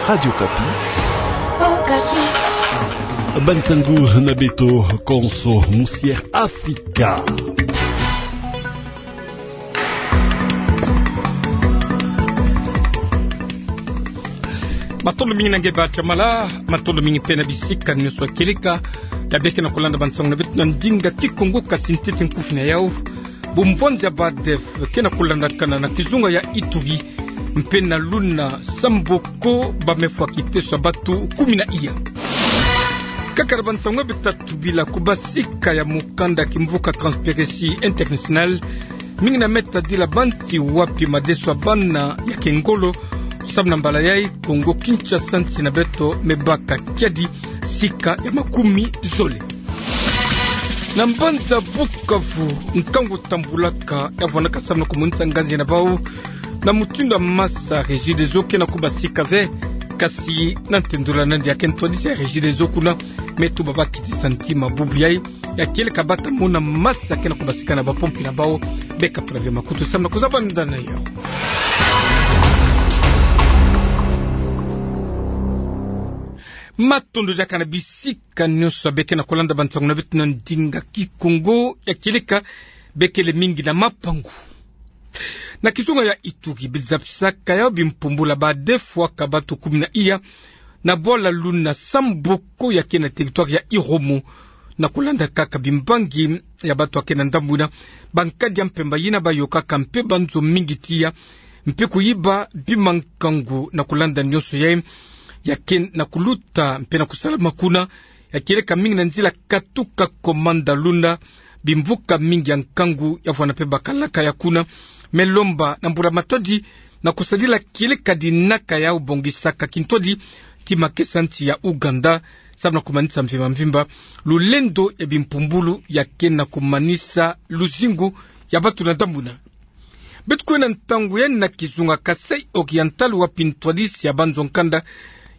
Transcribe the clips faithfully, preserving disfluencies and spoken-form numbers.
Radio Okapi. Okapi. Bansangu na beto konso musi Afrika. Matondo mingi na nge Batamala, matondo mingi mpe na bisika nyonso ya kieleka ya bia ke na kulanda bansangu na beto na ndinga Kikongo. Kasi ntete nkufi na yau: bumbwanzi ya ba ADF ke na kulandakana na kizunga ya Ituri, mpe na luna Samboko bamefwa kiteso ya bantu kumi na iya. Kaka na bansangu ya beto tatu, bila kubasika ya mukanda kimvuka Transparency International, mingi na me tadila banti wapi madeso ya bana ya ke ngolo, samu na mbala yai Kongo Kinshasa, nsi na beto, mebaka kiadi sika ya makumi zole. Na mbanza Bukavu, nkangu tambulaka ya vwanaka samu na kumonisa nganzi na bau na mutindu ya masa Regideso ke na kubasika ve. Kasi na ntendula nandi ya ke ntwadisi ya Regideso kuna, me tuba bakitisa ntima bubu yai, ya kieleka bata mona masa ke na kubasika na bapompi na bau. Beka pula ve makutu samu na kuzabanda na yau. Matondo diaka na bisika nyonso ya bia ke na kulanda bansangu na beto na ndinga Kikongo ya kieleka. Bia kele mingi na mapangu. Na kizunga ya Ituri, bizabisaka yau bimpumbulu ya ba ADF, bwaka bantu kumi na iya na bwala luna Samboko ya ke na territoire ya Irumu, na kulanda kaka bimbangi ya bantu ya ke na ndambu yina, bankadi ya mpemba yina bayokaka mpe banzo mingi tiya, mpe kuyiba bima nkangu. Na kulanda nyonso yai, ya ke na kuluta mpe na kusalama kuna, ya kieleka mingi na nzila katuka komanda luna, bimvuka mingi ya nkangu ya vwana mpe bakalaka ya kuna. Me lomba na mbula-matadi na kusadila kieleka dinaka yau bongisaka kintwadi ti makesa nsi ya Ouganda, samu na kumanisa mvimba-mvimba lulendo ya bimpumbulu ya ke na kumanisa luzingu ya bantu na ndambu yina. Beto kwenda ntangu yai na kizunga Kasaï Oriental, wapi ntwadisi ya banzo-nkanda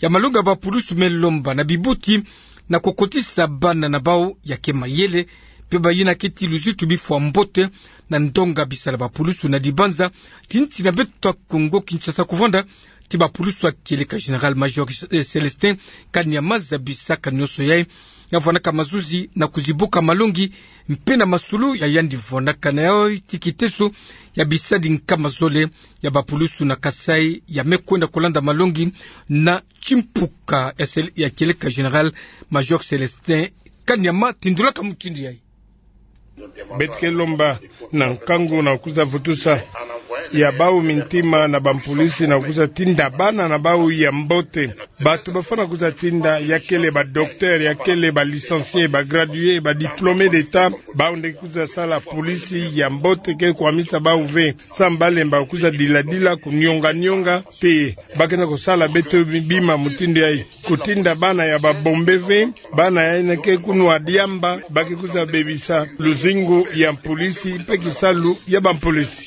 ya malongi ya bapulusu me lomba na bibuti na kukotisa bana na bau ya ke mayele, mpe bayina ke ti luzitu bifwa mbote na ndonga bisalu ya bapulusu na dibanza ti nsi na beto ya Kongo Kinshasa, kuvanda ti bapulusu ya kieleka Général-Major, eh, Célestin Kanyama, zabisaka nyonso yai ya vwanaka mazuzi na kuzibuka malongi mpe na masulu ya yandi vwanaka na yau ti kiteso ya bisadi nkama zole ya bapulusu na Kasaï ya me kwenda kulanda malongi na kimpuka ya sel-, ya kieleka Général-Major Célestin Kanyama. Tindulaka mutindu yai. Beto ke lomba na nkangu na kuza vutusa ya bau mintima na bampulisi na kuza tinda bana na bau ya mbote. Bantu bafwana kuza tinda ya kele ba docteur, ya kele ba licencié, ba gradué, ba diplômé d'État. Bau nde kuza sala pulisi ya mbote ke kwamisa bau ve. Samu balemba kuza dila-dila, kunionga-nionga, mpe ba ke na kusala beto bi-, bima mutindu yai. Kutinda bana ya babombe ve, bana yina ke kunwa diamba, ba ke kuza bebisa luzingu ya mpulisi mpe kisalu ya bampulisi.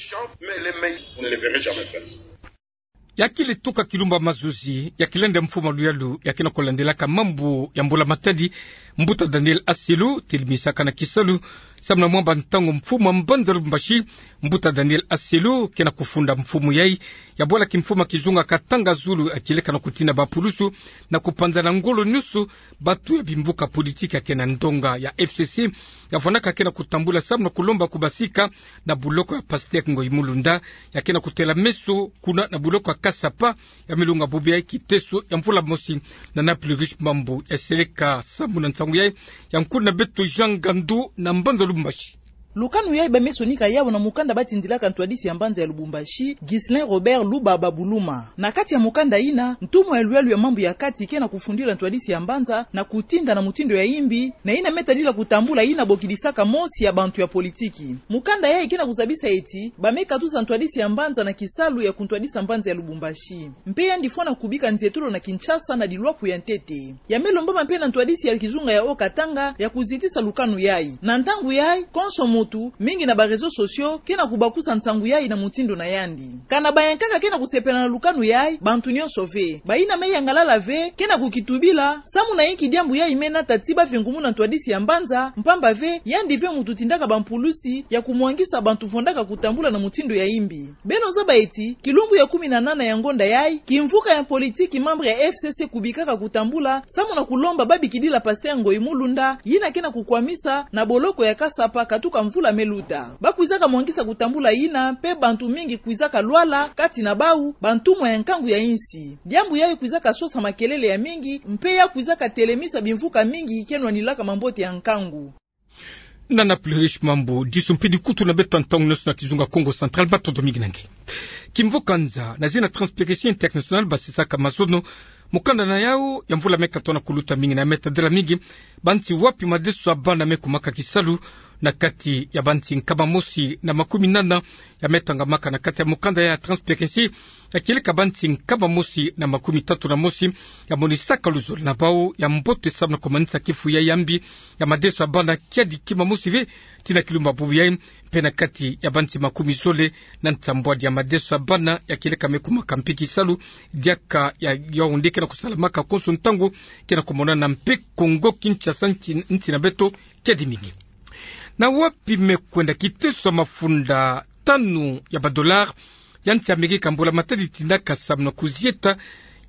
Ya kele tuka kilumbu ya mazuzi, ya kilenda mfumu ya luyalu ya ke na kulandilaka mambu ya mbula-matadi, Mbuta Daniel Asselo, telimisaka na kisalu samu na mwamba ntangu mfumu ya mbanza Lubumbashi. Mbuta Daniel Asselo ke na kufunda mfumu yai ya bwala kimfumu ya kizunga Katanga Zulu, ya kieleka na kutinda bapulusu na kupanzana ngolo nyonso bantu ya bimvuka politiki ya ke na ndonga ya F C C, ya vwanaka ke na kutambula samu na kulomba kubasika na buloko ya Pasteur Ngoyi Mulunda, ya ke na kutela meso kuna na buloko ya Kasapa, ya me longa bubu yai kiteso ya mvula mosi. Na Napoli Riche Mambu ya seleka sambu na nsangu yai ya nkulu na beto Jean Gandu na mbanza Lubumbashi. Lukanu yai ba me sonika yawu na mukanda ba tindilaka ntwadisi ya mbanza ya Lubumbashi, Ghislain Robert Lubaba Buluma. Na kati ya mukanda yina, ntumwa ya luyalu ya mambu ya kati ke na kufundila ntwadisi ya mbanza na kutinda na mutindu ya yimbi, na yina me tadila kutambula yina bokidisaka mosi ya bantu ya politiki. Mukanda yai ke na kuzabisa ti ba me katusa ntwadisi ya mbanza na kisalu ya kuntwadisa mbanza ya Lubumbashi. Mpe yandi fwana kubika nzietolo na Kinshasa na dilwaku ya ntete. Ya me lombama mpe na ntwadisi ya kizunga ya Haut-Katanga ya kuzitisa lukanu yai. Na ntangu yai, konso mu muntu, mingi na ba réseaux sociaux, ke na kubakusa nsangu yayi na mutindu na yandi. Kana bayankaka ke na kusepela na lukanu yayi, bantu nyonso ve. Bayina me yangalala ve, ke na kukitubila, samu na inki diambu yayi me nata ti ba vingumuna ntwadisi ya mbanza, mpamba ve, yandi ve muntu tindaka bampulusi ya kumwangisa bantu fondaka kutambula na mutindu ya imbi. Beno zaba eti, kilumbu ya kumi na nana ya ngonda yayi, kimvuka ya politiki membre ya F C C kubikaka kutambula, samu na kulomba babikidila pasteur Ngoyi Mulunda, yina ke na kukwamisa na boloko ya Kasapa katuka mvula me luta. Bakwizaka mwangisa kutambula yina, mpe bantu mingi kwizaka lwala, kati na bawu, bantumwa ya nkangu ya insi. Diambu yayi kwizaka sosa makelele ya mingi, mpe ya kwizaka telemisa bimvuka mingi ke nwanilaka mambote ya nkangu. Nana Plurish Mambu, disu mpidi kutu na beto ya ntangu nyonso na kizunga Kongo Central, matondo mingi na nge. Kimvuka nza, na zina Transparency International basisaka mazono, mukanda na yawu ya mvula me katuka na kuluta mingi na me tadila mingi, banti wapi madeso ya bana me kumaka kisalu, na kati ya banti nkama mosi na makumi nana, ya me tangamaka na kati ya mukanda ya Transparency, ya kieleka banti nkama mosi na makumi tatu na mosi, ya monisaka luzolo na bawu ya mbote samu na kumanisa kifu yayi ya mbi, ya madeso ya bana kiadi kima mosi ve, tii na kilumbu bubu yayi, mpe na kati ya banti makumi zole na nsambwadi ya madeso ya bana ya kieleka me kumaka mpe kisalu, diaka ya Yaoundé ke na kusalamaka konso ntangu, ke na kumonana mpe Kongo Kinshasa, nsi, nsi na beto kiadi mingi. Na wapi me kwenda kiteso ya mafunda tanu ya ba dollars ya nsi Amerika mbula-matadi tindaka samu na kuzieta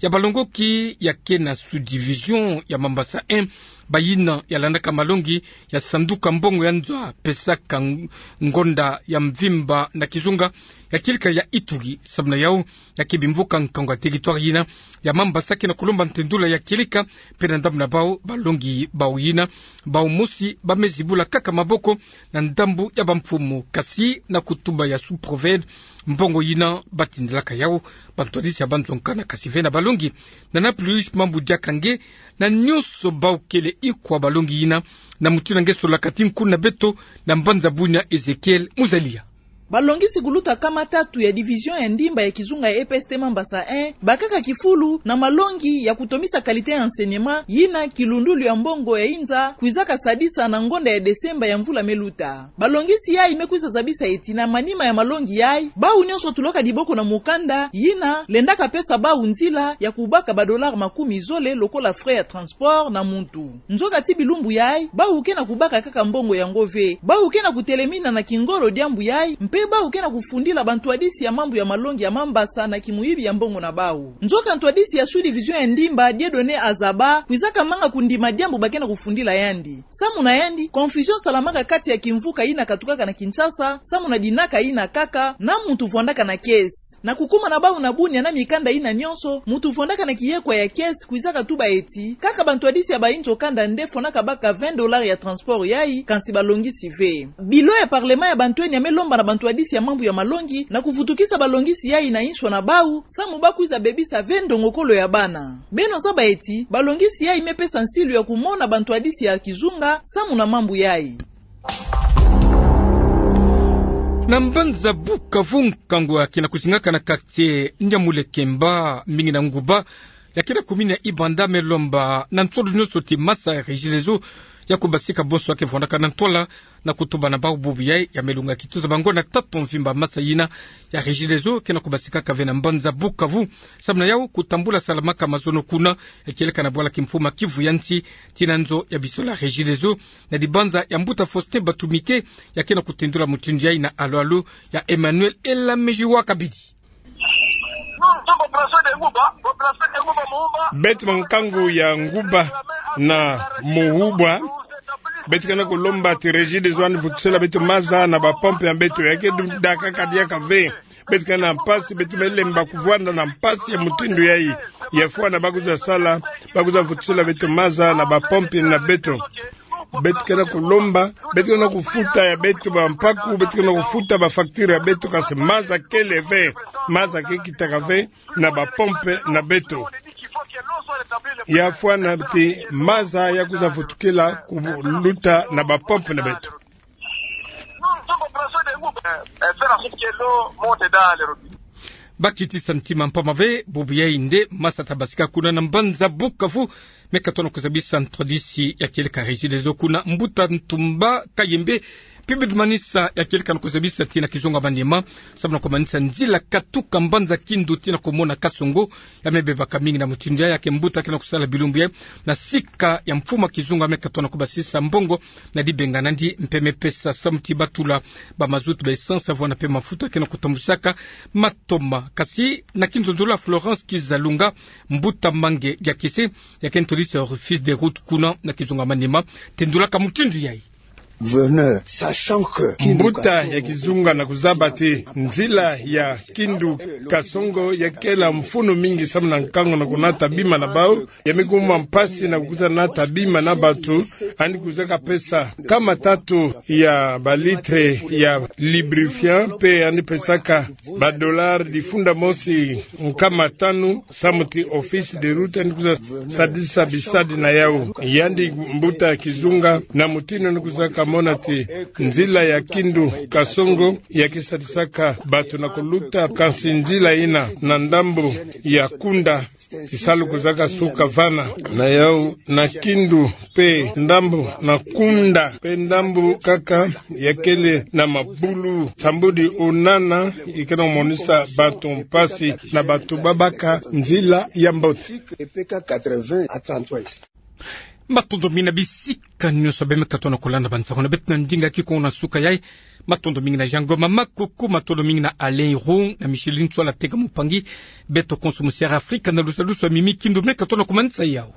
ya balongoki ya ke na sous-division ya Mambasa un, bayina ya landaka malongi ya sanduka mbongo ya nzo ya pesaka ng-, ngonda ya mvimba na kizunga ya kieleka ya Ituri, samu na yawu, ya ke bimvuka nkangu ya territoire yina ya Mambasa ke na kulomba ntendula ya kieleka, mpe na ndambu na bawu, balongi bawu yina, bawu mosi ba me zibula kaka maboko na ndambu ya bamfumu, kasi na kutuba ya sous-préfet, mbongo yina batindilaka yawu bantwadisi ya banzo nkana, kasi ve na balongi. Nana Plurish Mambu, diaka nge, na nyonso bawu kele ikwa balongi yina, na mutindu na nge solaka ti nkuna beto na mbanza Bunia, Ezekiel Muzalia. Balongisi kuluta nkama tatu ya division ya ndimba ya kizunga ya E P S T Mambasa un bakaka kifulu na malongi ya kutomisa qualité ya enseignement, yina kilundulu ya mbongo ya inza kwizaka sadisa na ngonda ya Desemba ya mvula me luta. Balongisi yayi me kwiza zabisa eti na manima ya malongi yayi, bawu nyonso tulaka diboko na mukanda yina lendaka pesa bawu nzila ya kubaka ba dollars makumi zole lokola frais ya transport na muntu. Nzoka ti bilumbu yayi, bawu ke na kubaka kaka mbongo yango ve. Bawu ke na kutelemina na kingolo diambu yayi, mpe bawu ke na kufundila bantwadisi ya mambu ya malongi ya Mambasa na kimuyibi ya mbongo na bawu. Nzoka ntwadisi ya sous-division ya ndimba, Dieudonné Azaba, kwizaka manga kundima diambu ba ke na kufundila yandi. Samu na yandi, confusion salamaka kati ya kimvuka yina katukaka na Kinshasa, samu na dinaka yina kaka, na muntu vwandaka na caisse. Na kukuma na bawu na Bunia na mikanda yina nyonso, muntu vwandaka na kiyekwa ya caisse kwizaka tuba eti, kaka bantwadisi ya bainzo kanda nde fwanaka baka vingt dollars ya transport yayi, kansi balongisi ve. Bilo ya parlement ya bantwenia me lomba na bantwadisi ya mambu ya malongi na kuvutukisa balongisi yayi na inswa na bawu, samu ba kwiza bebisa ve ndongokolo ya bana. Beno zaba eti, balongisi yayi me pesa nsilu ya kumona bantwadisi ya kizunga samu na mambu yayi. Na mbanza Bukavu, nkangu ya ke na kuzingaka na quartier Nyamulekemba, mingi na nguba ya ke na commune ya Ibanda, me lomba na nsolo nyonso ti masa ya Regideso ya kubasika bonso ya ke vwandaka na ntwala, na kutuba na bawu bubu yayi, ya me lunga kituza bango na tatu mvimba masa yina ya Regideso ke na kubasikaka ve na mbanza Bukavu. Samu na yawu, kutambula salamaka mazono kuna, ya kieleka na bwala kimfumu ya Kivu ya nsi, tii na nzo ya bisola Regideso, na dibanza ya mbuta Faustin Batumike, ya ke na kutendula mutindu yayi na alo-alo ya Emmanuel Elamejiwa Kabidi. Beto ba nkangu ya nguba na muhubwa, beto ke na kulomba ti Regideso yandi vutusila beto maza na ba pompe ya beto, ya ke du-, daka kadiaka ve. Beto ke na mpasi, beto me lemba kuvwanda na mpasi ya mutindu yayi. Ya fwana ba kwiza sala, ba kwiza vutusila beto maza na ba pompe na beto. Beto ke na kulomba, beto ke na kufuta ya beto ba mpaku, beto ke na kufuta ba facture ya beto, kansi maza kele ve, maza ke kitaka ve na ba pompe na beto. Ya fwana ti maza ya kwiza vutukila kuluta na ba pompe na beto. Bakitisa ntima mpamba ve, bubu yayi nde masa ta basika kuna na mbanza Bukavu, me katono kuzabisa ntwadisi ya kieleka Regideso kuna, mbuta Ntumba Kayembe, Pi bit manisa ya kieleka na kuzabisa tina kizunga manima, samu na kumanisa nzila katuka mbanza Kindu tina kumona Kasongo, ya me bebaka mingi na mutindu yayi. Ya ke mbuta kena kusala bilumbu yayi, na sika ya mfuma kizunga me katona kubasisa mbongo na dibenga nandi mpeme pesa, samu ti batula ba mazout, ba essence, avwanga pe mafuta kena kutambusaka matoma. Kasi na kinzonzolo ya Florence Kizalunga, mbuta Mange Diakese, ya ke ntolisi ya office de route kuna na kizunga manima, tendulaka mutindu yayi. Mbuta ya kizunga na kuzaba ti nzila ya Kindu Kasongo ya kela mfunu mingi samu na nkangu na kunata bima na bau, ya me kuma mpasi na kukwiza nata bima na batu. Yandi kwizaka pesa nkama tatu ya ba litre ya lubrifiant, pe yandi pesaka ba dollar difunda mosi nkama tanu, samu ti office de route yandi kwiza sadisa bisadi na yau. Yandi mbuta ya kizunga na mutindu yandi kwizaka mona ti nzila ya Kindu Kasongo ya ke sadisaka batu na kuluta, kasi nzila yina na ndambu ya Kunda, tisalu kwizaka suka vana na yau na Kindu, pe ndambu na Kunda, pe ndambu kaka ya kele na mabulu. Sambudi onana, i kena monisa batu mpasi na batu babaka nzila ya mbote. Matondo mingi na bisika nyonso beno me katona kulanda ba nsangu na beto na ndinga kikongo na suka yayi. Matondo mingi na Jean Ngoma Makuku, matondo mingi na Alain Irung, na Micheline Ntsoila Tega Mupangi, beto konso mu Sierra Africa, na lusalusu ya Mimi Kindu me katona kumanisa yau.